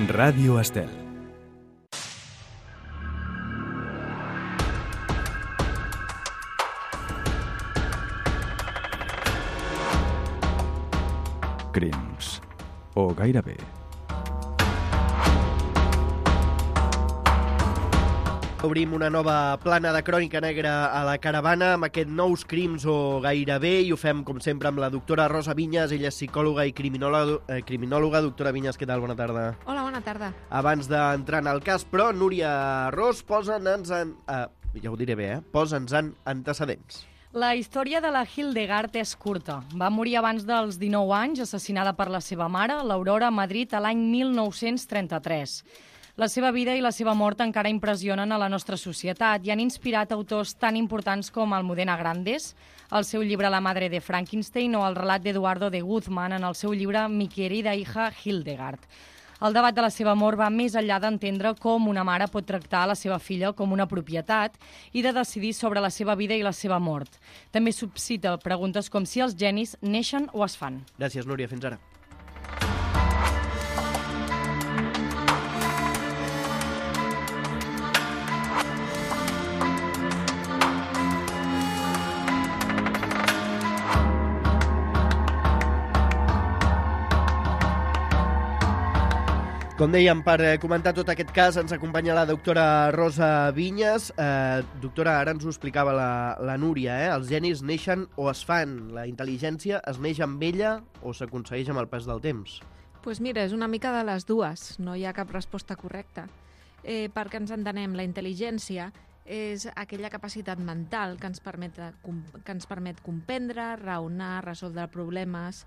Ràdio Estel. Crims. O gairebé. Obrim una nova plana de Crònica Negra a la caravana amb aquest nous crims o gairebé, i ho fem, com sempre, amb la doctora Rosa Vinyes. Ella és psicòloga i criminòloga. Doctora Vinyes, què tal? Bona tarda. Hola, bona tarda. Abans d'entrar en el cas, però, Núria Ros, posa'ns en antecedents. La història de la Hildegard és curta. Va morir abans dels 19 anys, assassinada per la seva mare, l'Aurora, a Madrid, a l'any 1933. La seva vida i la seva mort encara impressionen a la nostra societat i han inspirat autors tan importants com Almudena Grandes, el seu llibre La madre de Frankenstein, o el relat d'Eduardo de Guzmán en el seu llibre Mi querida hija Hildegard. El debat de la seva mort va més enllà d'entendre com una mare pot tractar a la seva filla com una propietat i de decidir sobre la seva vida i la seva mort. També suscita preguntes com si els genis neixen o es fan. Gràcies, Núria. Fins ara. Com dèiem, per comentar tot aquest cas ens acompanya la doctora Rosa Vinyes. Doctora, ara ens ho explicava la Núria, els genis neixen o es fan? La intel·ligència es neix amb ella o s'aconsegueix amb el pas del temps? Doncs mira, és una mica de les dues, no hi ha cap resposta correcta. Perquè ens entenem, la intel·ligència és aquella capacitat mental que ens permet comprendre, raonar, resoldre problemes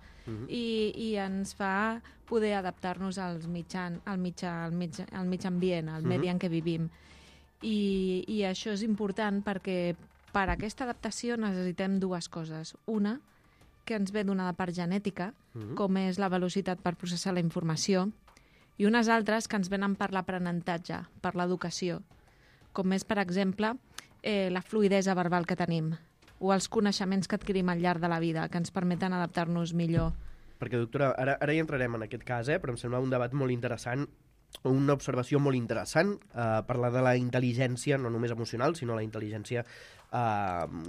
i ens fa poder adaptar-nos al mitjà ambient, al medi en què vivim. I això és important perquè per a aquesta adaptació necessitem dues coses. Una, que ens ve donada per genètica, com és la velocitat per processar la informació, i unes altres que ens venen per l'aprenentatge, per l'educació, com és, per exemple, la fluïdesa verbal que tenim o els coneixements que adquirim al llarg de la vida, que ens permeten adaptar-nos millor. Perquè, doctora, ara hi entrarem en aquest cas, però em sembla un debat molt interessant, una observació molt interessant, parlar de la intel·ligència, no només emocional, sinó la intel·ligència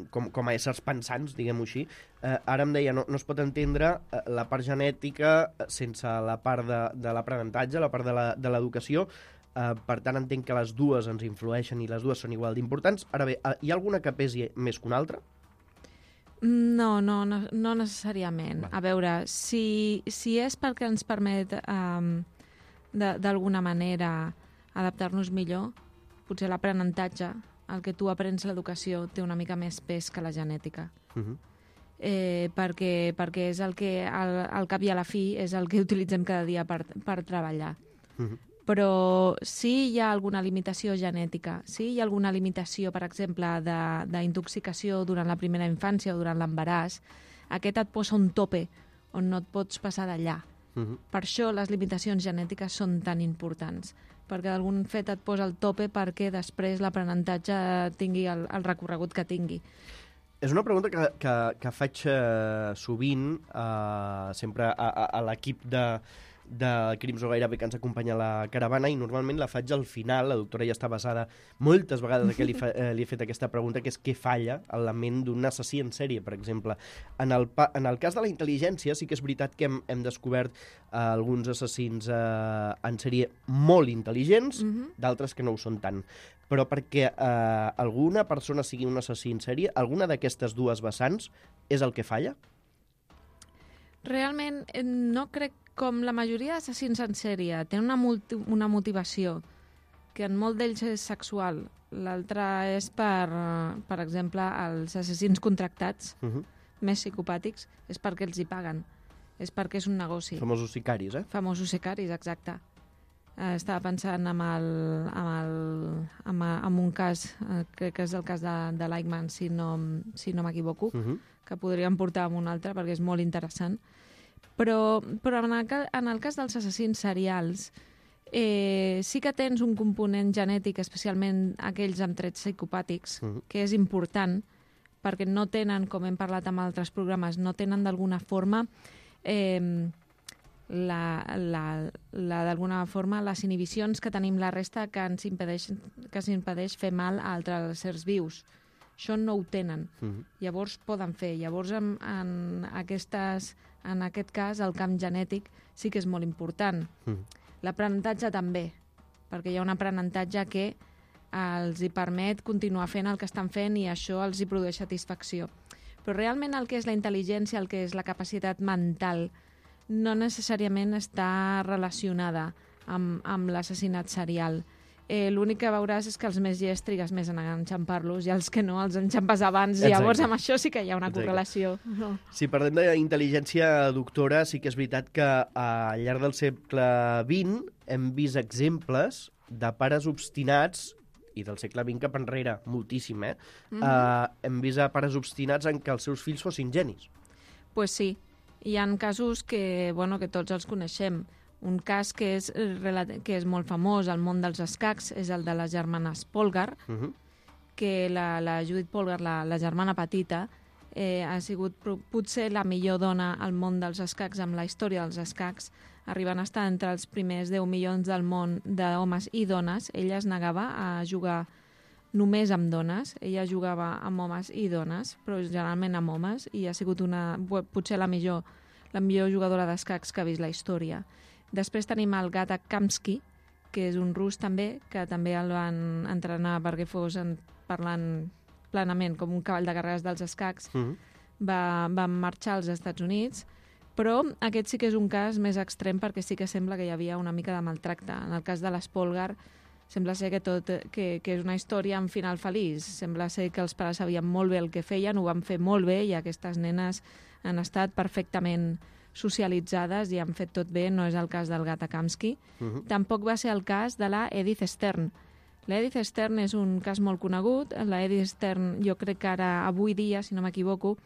com a éssers pensants, diguem-ho així. Ara em deia, no es pot entendre la part genètica sense la part de l'aprenentatge, la part de l'educació. Per tant, entenc que les dues ens influeixen i les dues són igual d'importants. Ara bé, hi ha alguna que pesi més que una altra? No necessàriament. A veure, si és perquè ens permet d'alguna manera adaptar-nos millor, potser l'aprenentatge, el que tu aprens l'educació, té una mica més pes que la genètica. Perquè és el que, al cap i a la fi, és el que utilitzem cada dia per treballar. Però sí hi ha alguna limitació genètica, sí hi ha alguna limitació, per exemple, d'intoxicació durant la primera infància o durant l'embaràs. Aquest et posa un tope on no et pots passar d'allà. Per això les limitacions genètiques són tan importants, perquè d'algun fet et posa el tope perquè després l'aprenentatge tingui el recorregut que tingui. És una pregunta que faig sovint, sempre a l'equip de Crims o gairebé que ens acompanya a la caravana, i normalment la faig al final. La doctora ja està basada moltes vegades que li he fet aquesta pregunta, que és què falla en la ment d'un assassí en sèrie, per exemple. En el cas de la intel·ligència sí que és veritat que hem descobert alguns assassins en sèrie molt intel·ligents, d'altres que no ho són tant. Però perquè alguna persona sigui un assassí en sèrie, alguna d'aquestes dues vessants és el que falla? Realment no crec. Com la majoria d'assassins en sèrie tenen una motivació que en molt d'ells és sexual, l'altra és per exemple, els assassins contractats més psicopàtics, és perquè els hi paguen, és perquè és un negoci. Famosos sicaris, Famosos sicaris, exacte. Estava pensant en un cas, crec que és el cas de l'Eichmann, si no m'equivoco, que podríem portar amb un altre perquè és molt interessant. Però en el cas dels assassins serials sí que tens un component genètic, especialment aquells amb trets psicopàtics, que és important perquè no tenen, com hem parlat en altres programes, no tenen d'alguna forma d'alguna forma les inhibicions que tenim la resta que ens impedeix fer mal a altres éssers vius. Això no ho tenen. Llavors poden fer. Llavors en aquest cas el camp genètic sí que és molt important. L'aprenentatge també, perquè hi ha un aprenentatge que els hi permet continuar fent el que estan fent i això els hi produeix satisfacció. Però realment el que és la intel·ligència, el que és la capacitat mental, no necessàriament està relacionada amb l'assassinat serial. L'únic que veuràs és que els més llests trigues més en enxampar-los i els que no els enxampes abans. Exacte. Llavors amb això sí que hi ha una correlació. Si parlem d'intel·ligència, doctora, sí que és veritat que al llarg del segle XX hem vist exemples de pares obstinats, i del segle XX cap enrere, moltíssim, hem vist pares obstinats en que els seus fills fossin genis. Pues sí. Hi ha casos que tots els coneixem. Un cas que és molt famós al món dels escacs és el de les germanes Polgar, que la Judith Polgar, la germana petita, ha sigut potser la millor dona al món dels escacs amb la història dels escacs, arribant a estar entre els primers 10 milions del món d'homes i dones. Ella es negava a jugar només amb dones. Ella jugava amb homes i dones, però generalment amb homes, i ha sigut potser la millor jugadora d'escacs que ha vist la història. Després tenim el Gata Kamsky, que és un rus també, que també el van entrenar perquè fos parlant plenament com un cavall de carreres dels escacs. Va marxar als Estats Units, però aquest sí que és un cas més extrem perquè sí que sembla que hi havia una mica de maltracte. En el cas de les Polgar sembla ser que és una història amb final feliç. Sembla ser que els pares sabien molt bé el que feien, ho van fer molt bé i aquestes nenes han estat perfectament socialitzades i han fet tot bé. No és el cas del Gata Kamsky. Tampoc va ser el cas de la Edith Stern. La Edith Stern és un cas molt conegut. La Edith Stern, jo crec que ara, avui dia, si no m'equivoco,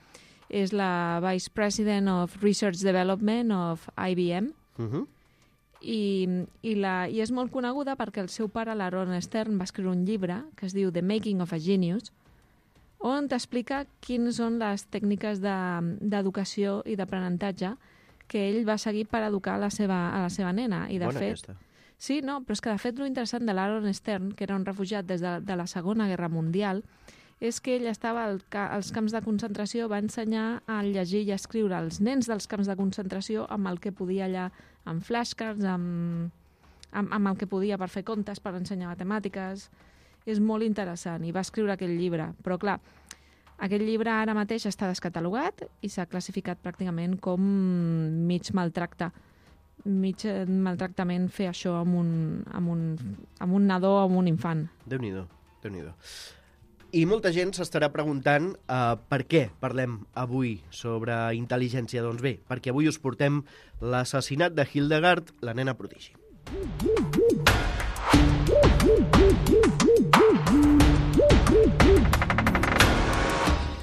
és la Vice President of Research Development of IBM. I és molt coneguda perquè el seu pare, l'Aaron Stern, va escriure un llibre que es diu The Making of a Genius, on t'explica quines són les tècniques d'educació i d'aprenentatge que ell va seguir per educar a la seva nena. I de Bona fet, aquesta. Sí, no, però és que de fet l'interessant de l'Aaron Stern, que era un refugiat des de la Segona Guerra Mundial, és que ell estava als camps de concentració, va ensenyar a llegir i a escriure als nens dels camps de concentració amb el que podia allà, amb flashcards, amb el que podia per fer comptes, per ensenyar matemàtiques. És molt interessant, i va escriure aquell llibre. Però clar, aquest llibre ara mateix està descatalogat i s'ha classificat pràcticament com mig maltractament fer això amb un nadó o amb un infant. Déu-n'hi-do, Déu-n'hi-do. I molta gent s'estarà preguntant per què parlem avui sobre intel·ligència. Doncs bé, perquè avui us portem l'assassinat de Hildegard, la nena prodigi.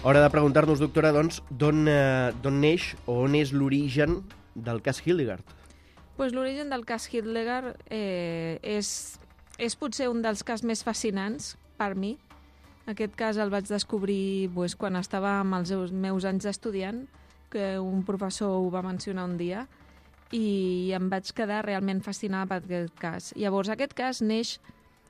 Hora de preguntar-nos, doctora, doncs, d'on neix o on és l'origen del cas Hildegard? Pues l'origen del cas Hildegard és potser un dels casos més fascinants per mi. Aquest cas el vaig descobrir quan estava amb els meus anys d'estudiant, que un professor ho va mencionar un dia, i em vaig quedar realment fascinada per aquest cas. Llavors, aquest cas neix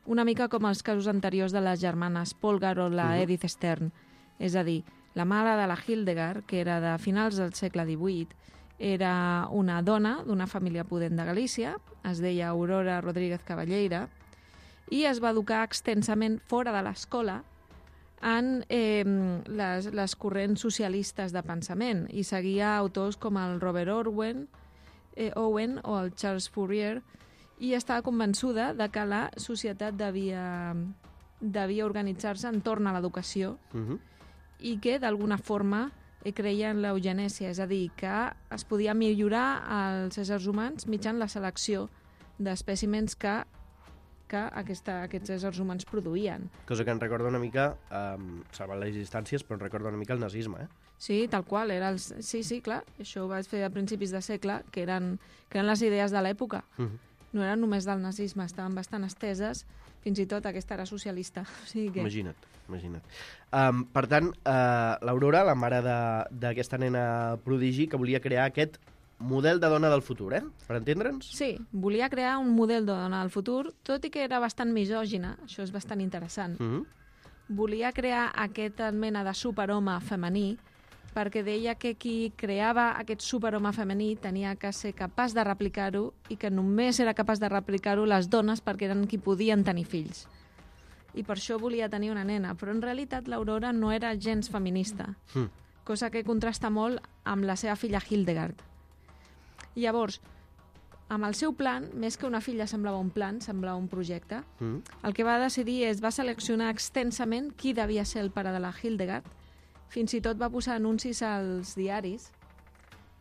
una mica com els casos anteriors de les germanes Polgar o la Edith Stern. És a dir, la mare de la Hildegard, que era de finals del segle XVIII, era una dona d'una família pudent de Galícia, es deia Aurora Rodríguez Cavalleira, i es va educar extensament fora de l'escola en les corrents socialistes de pensament i seguia autors com el Robert Owen o el Charles Fourier, i estava convençuda de que la societat devia organitzar-se entorn a l'educació i que d'alguna forma creia en l'eugenèsia, és a dir, que es podia millorar els éssers humans mitjançant la selecció d'espècimens que aquests éssers humans produïen. Cosa que em recorda una mica, salvant les distàncies, però em recorda una mica el nazisme, Sí, tal qual. Sí, clar. Això ho vaig fer a principis de segle, que eren les idees de l'època. No eren només del nazisme, estaven bastant esteses, fins i tot aquesta era socialista. O sigui que... Imagina't. Per tant, l'Aurora, la mare d'aquesta nena prodigi, que volia crear aquest model de dona del futur, per entendre'ns? Sí, volia crear un model de dona del futur, tot i que era bastant misògina, això és bastant interessant. Volia crear aquesta mena de superhome femení, perquè deia que qui creava aquest superhome femení tenia que ser capaç de replicar-ho i que només era capaç de replicar-ho les dones perquè eren qui podien tenir fills. I per això volia tenir una nena, però en realitat l'Aurora no era gens feminista, cosa que contrasta molt amb la seva filla Hildegard. Llavors, amb el seu plan, més que una filla semblava un plan, semblava un projecte, el que va decidir va seleccionar extensament qui devia ser el pare de la Hildegard, fins i tot va posar anuncis als diaris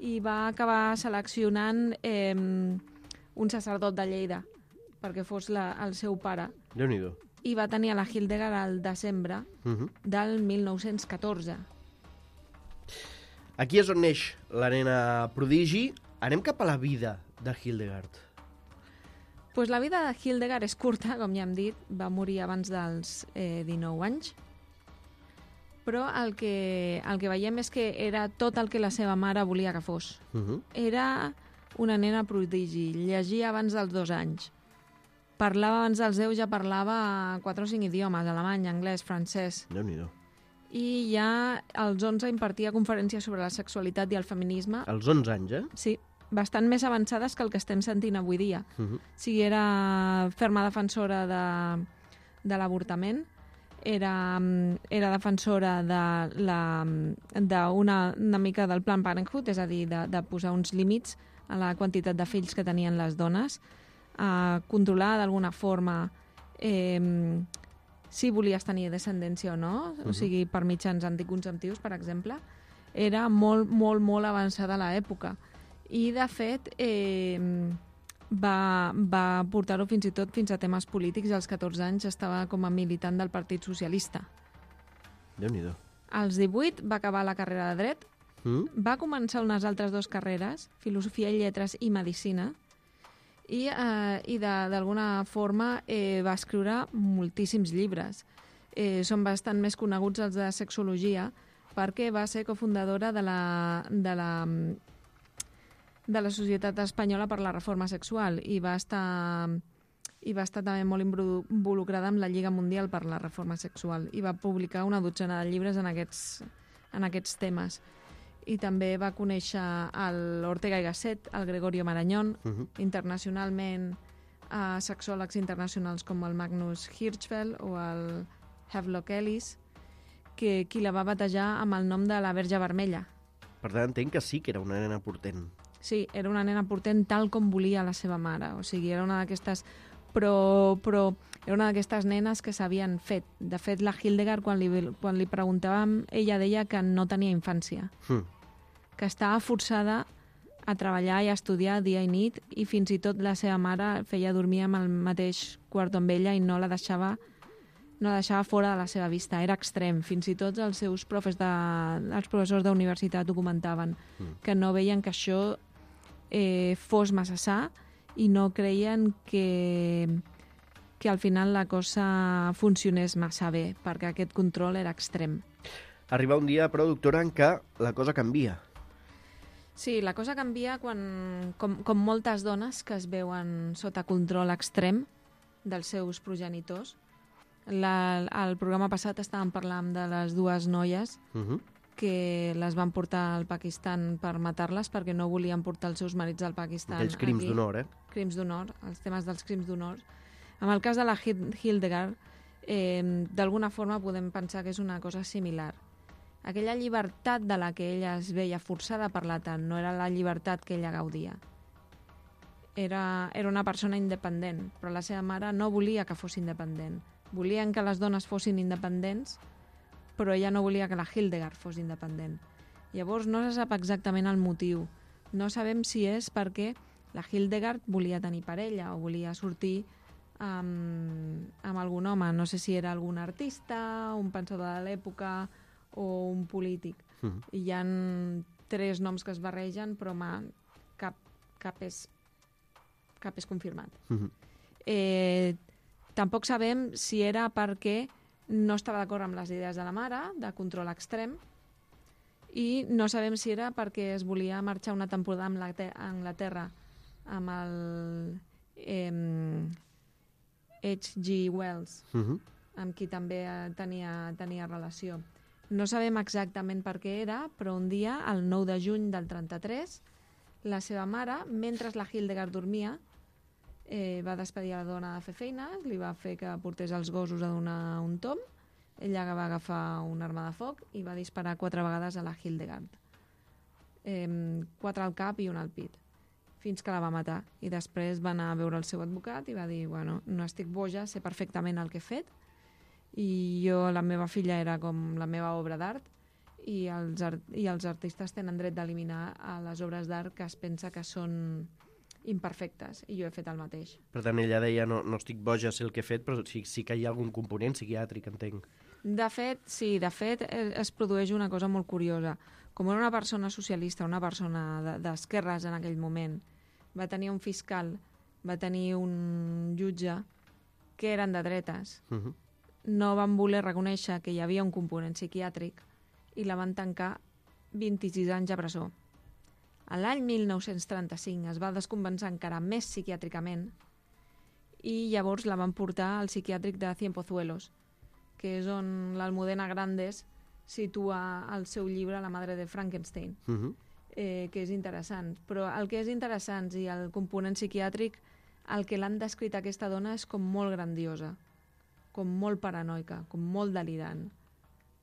i va acabar seleccionant un sacerdot de Lleida perquè fos el seu pare. Déu-n'hi-do. I va tenir a la Hildegard al desembre del 1914. Aquí és on neix la nena prodigi. Anem cap a la vida de Hildegard. Pues la vida de Hildegard és curta, com ja hem dit, va morir abans dels 19 anys, però el que veiem és que era tot el que la seva mare volia que fos. Era una nena prodigi, llegia abans dels 2 anys, parlava abans dels 10, ja parlava 4 o 5 idiomes, alemany, anglès, francès. Déu-n'hi-do. I ja als 11 impartia conferències sobre la sexualitat i el feminisme. Als 11 anys, Sí, bastant més avançades que el que estem sentint avui dia. O sigui, era ferma defensora de l'avortament, era defensora d'una mica del Planned Parenthood, és a dir, de posar uns límits a la quantitat de fills que tenien les dones, controlar d'alguna forma si volies tenir descendència o no, o sigui, per mitjans anticonceptius, per exemple, era molt, molt, molt avançada a l'època. I, de fet, va portar-ho fins i tot fins a temes polítics. Als 14 anys estava com a militant del Partit Socialista. Déu-n'hi-do. Als 18 va acabar la carrera de dret, va començar unes altres 2 carreres, filosofia i lletres i medicina, i d'alguna forma va escriure moltíssims llibres. Són bastant més coneguts els de sexologia perquè va ser cofundadora de la Societat Espanyola per la Reforma Sexual i va estar també molt involucrada amb la Lliga Mundial per la Reforma Sexual i va publicar una dotzena de llibres en aquests temes. I també va conèixer l'Ortega y Gasset, el Gregorio Marañón, internacionalment sexòlegs internacionals com el Magnus Hirschfeld o el Havelock Ellis, qui la va batejar amb el nom de la Verge Vermella. Per tant, entenc que sí que era una nena portent. Sí, era una nena portent tal com volia la seva mare. O sigui, era una d'aquestes... Però era una d'aquestes nenes que s'havien fet. De fet, la Hildegard, quan li preguntàvem, ella deia que no tenia infància. Que estava forçada a treballar i a estudiar dia i nit i fins i tot la seva mare feia dormir amb el mateix quarto amb ella i no la deixava fora de la seva vista. Era extrem. Fins i tot els seus els professors d'universitat ho comentaven, que no veien que això fos massa sa i no creien que al final la cosa funcionés massa bé, perquè aquest control era extrem. Arriba un dia, però, doctora, en què la cosa canvia. Sí, la cosa canvia quan, com moltes dones que es veuen sota control extrem dels seus progenitors. Al programa passat estàvem parlant de les 2 noies que les van portar al Pakistan per matar-les perquè no volien portar els seus marits al Pakistan. Aquells crims d'honor, Crims d'honor, els temes dels crims d'honor. En el cas de la Hildegard, d'alguna forma podem pensar que és una cosa similar. Aquella llibertat de la que ella es veia forçada a parlar tant no era la llibertat que ella gaudia. Era una persona independent, però la seva mare no volia que fos independent. Volien que les dones fossin independents, però ella no volia que la Hildegard fos independent. Llavors no se sap exactament el motiu. No sabem si és perquè la Hildegard volia tenir parella o volia sortir amb algun home. No sé si era algun artista, un pensador de l'època o un polític. I hi ha 3 noms que es barregen, però cap és confirmat. Tampoc sabem si era perquè no estava d'acord amb les idees de la mare, de control extrem, i no sabem si era perquè es volia marxar una temporada a Anglaterra amb el H.G. Wells, amb qui també tenia relació. No sabem exactament per què era, però un dia, el 9 de juny del 33, la seva mare, mentre la Hildegard dormia, va despedir a la dona de fer feina, li va fer que portés els gossos a donar un tom, ella va agafar una arma de foc i va disparar 4 vegades a la Hildegard. 4 al cap i 1 al pit, fins que la va matar. I després va anar a veure el seu advocat i va dir, bueno, no estic boja, sé perfectament el que he fet, i la meva filla era com la meva obra d'art, i els artistes tenen dret d'eliminar les obres d'art que es pensa que són imperfectes, i jo he fet el mateix. Per tant, ella deia, no estic boja, sé el que he fet, però sí que hi ha algun component psiquiàtric, entenc. De fet, sí, es produeix una cosa molt curiosa. Com era una persona socialista, una persona d'esquerres en aquell moment, va tenir un fiscal, va tenir un jutge que eren de dretes. No van voler reconèixer que hi havia un component psiquiàtric i la van tancar 26 anys a presó. A l'any 1935 es va descompensar encara més psiquiàtricament i llavors la van portar al psiquiàtric de Cienpozuelos, que és on l'Almudena Grandes situa el seu llibre La madre de Frankenstein, que és interessant. Però el que és interessant i el component psiquiàtric, el que l'han descrit aquesta dona és com molt grandiosa, com molt paranoica, com molt delirant,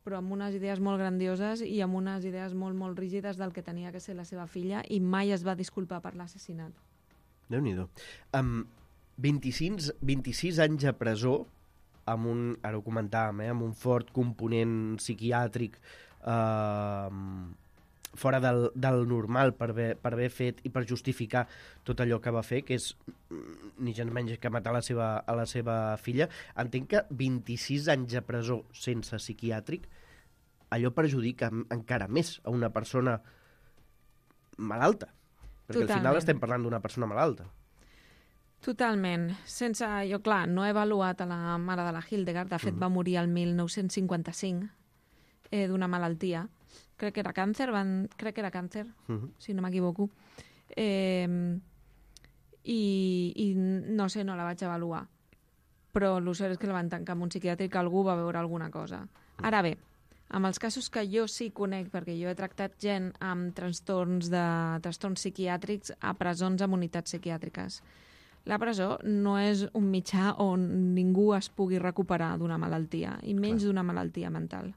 però amb unes idees molt grandioses i amb unes idees molt, molt rígides del que tenia que ser la seva filla, i mai es va disculpar per l'assassinat. Déu-n'hi-do. 26 anys a presó, ara ho comentàvem, amb un fort component psiquiàtric fora del normal per haver fet i per justificar tot allò que va fer, que és ni gens menys que matar a la seva filla. Entenc que 26 anys a presó sense psiquiàtric, allò perjudica encara més a una persona malalta. Perquè al final estem parlant d'una persona malalta. Totalment. Jo, clar, no he avaluat a la mare de la Hildegard. De fet, va morir el 1955 d'una malaltia. Crec que era càncer, si no m'equivoco. I no sé, no la vaig avaluar. Però el cert és que la van tancar en un psiquiàtric, algú va veure alguna cosa. Ara bé, amb els casos que jo sí conec, perquè jo he tractat gent amb trastorns psiquiàtrics a presons amb unitats psiquiàtriques. La presó no és un mitjà on ningú es pugui recuperar d'una malaltia, i menys d'una malaltia mental.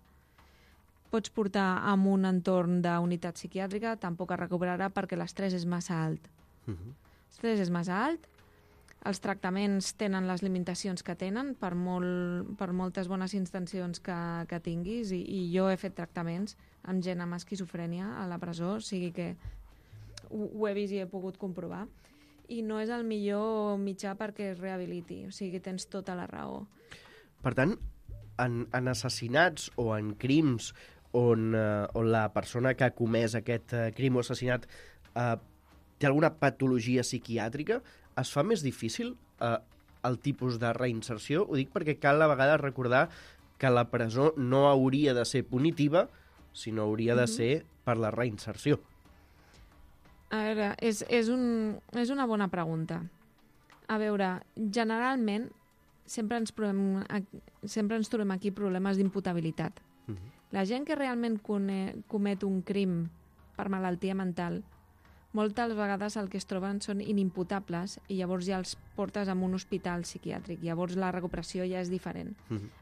Pots portar en un entorn d'unitat psiquiàtrica, tampoc es recuperarà perquè l'estrès és massa alt. L'estrès és massa alt, els tractaments tenen les limitacions que tenen per moltes bones intencions que tinguis, i jo he fet tractaments amb gent amb esquizofrènia a la presó, o sigui que ho he vist i he pogut comprovar. I no és el millor mitjà perquè es rehabiliti, o sigui, tens tota la raó. Per tant, en assassinats o en crims on la persona que ha comès aquest crim o assassinat té alguna patologia psiquiàtrica, es fa més difícil el tipus de reinserció? Ho dic perquè cal a vegades recordar que la presó no hauria de ser punitiva, sinó hauria de ser per la reinserció. A veure, és una bona pregunta. A veure, generalment sempre ens trobem aquí problemes d'imputabilitat. La gent que realment comet un crim per malaltia mental, moltes vegades el que es troben són inimputables i llavors ja els portes a un hospital psiquiàtric. Llavors la recuperació ja és diferent.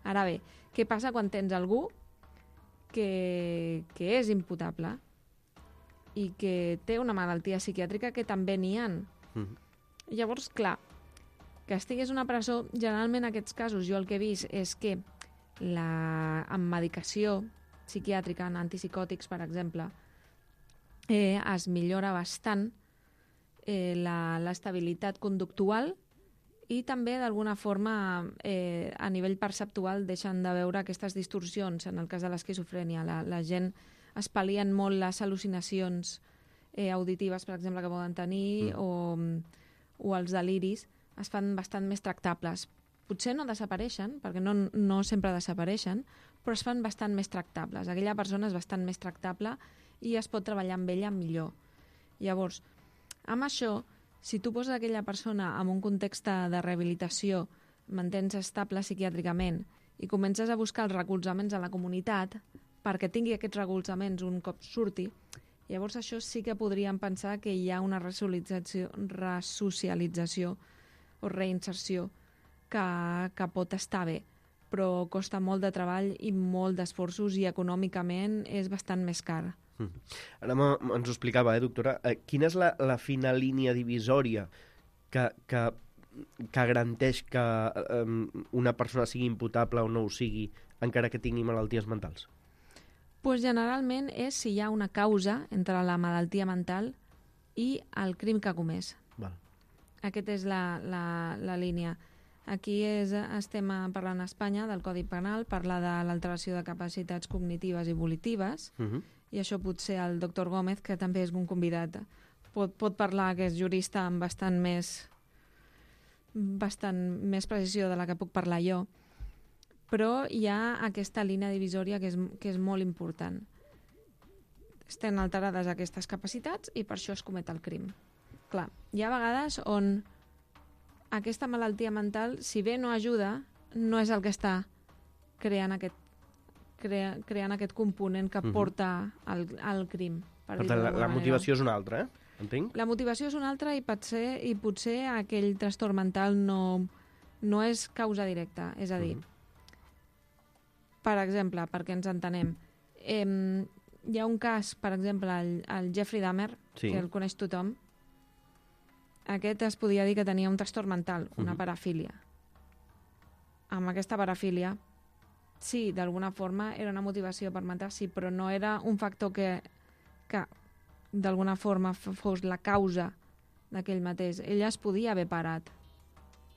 Ara bé, què passa quan tens algú que és imputable i que té una malaltia psiquiàtrica, que també n'hi ha? Llavors, clar, que estigués a una presó, generalment en aquests casos jo el que he vist és que amb medicació psiquiàtrica, en antipsicòtics, per exemple, es millora bastant l'estabilitat conductual i també, d'alguna forma, a nivell perceptual, deixen de veure aquestes distorsions. En el cas de l'esquizofrènia, la gent es pal·lien molt les al·lucinacions auditives, per exemple, que poden tenir, o els deliris, es fan bastant més tractables. Potser no desapareixen, perquè no sempre desapareixen, però es fan bastant més tractables. Aquella persona és bastant més tractable i es pot treballar amb ella millor. Llavors, amb això, si tu poses aquella persona en un context de rehabilitació, mantens estable psiquiàtricament i comences a buscar els recolzaments a la comunitat perquè tingui aquests recolzaments un cop surti, llavors això sí que podríem pensar que hi ha una resocialització o reinserció que pot estar bé, però costa molt de treball i molt d'esforços i econòmicament és bastant més car. Ara ens ho explicava, doctora. Quina és la fina línia divisòria que garanteix que una persona sigui imputable o no ho sigui, encara que tingui malalties mentals? Pues generalment és si hi ha una causa entre la malaltia mental i el crim que ha comès. Val. Aquesta és la línia. Aquí estem parlant a Espanya del Codi Penal, parla de l'alteració de capacitats cognitives i volitives, i això potser el doctor Gómez, que també és un convidat, pot parlar, que és jurista amb bastant més precisió de la que puc parlar jo. Però hi ha aquesta línia divisòria que és molt important. Estan alterades aquestes capacitats i per això es comet el crim. Clar, hi ha vegades on aquesta malaltia mental, si bé no ajuda, no és el que està creant aquest component que porta al crim. Per tant, la motivació és una altra, entenc? La motivació és una altra i potser aquell trastorn mental no és causa directa. És a dir, per exemple, perquè ens entenem, hi ha un cas, per exemple, el Jeffrey Dahmer, que el coneix tothom. Aquest es podia dir que tenia un trastorn mental, una parafília. Amb aquesta parafília, sí, d'alguna forma era una motivació per matar, sí, però no era un factor que d'alguna forma fos la causa d'aquell mateix. Ell es podia haver parat.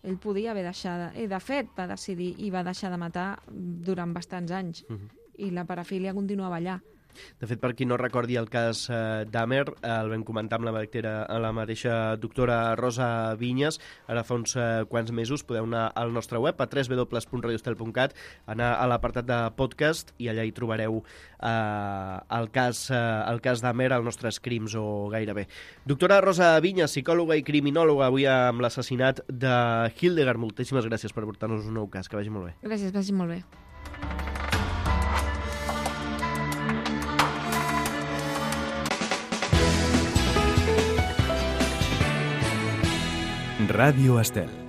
Ell podia haver deixat... I de fet va decidir i va deixar de matar durant bastants anys. I la parafília continuava allà. De fet, per qui no recordi el cas Dahmer, el vam comentar amb la mateixa doctora Rosa Vinyes, ara fa uns quants mesos. Podeu anar al nostre web, a www.radiostel.cat, anar a l'apartat de podcast i allà hi trobareu el cas Dahmer, els nostres crims o gairebé. Doctora Rosa Vinyes, psicòloga i criminòloga, avui amb l'assassinat de Hildegard. Moltíssimes gràcies per portar-nos un nou cas. Que vagi molt bé. Gràcies, vagi molt bé. Radio Estel.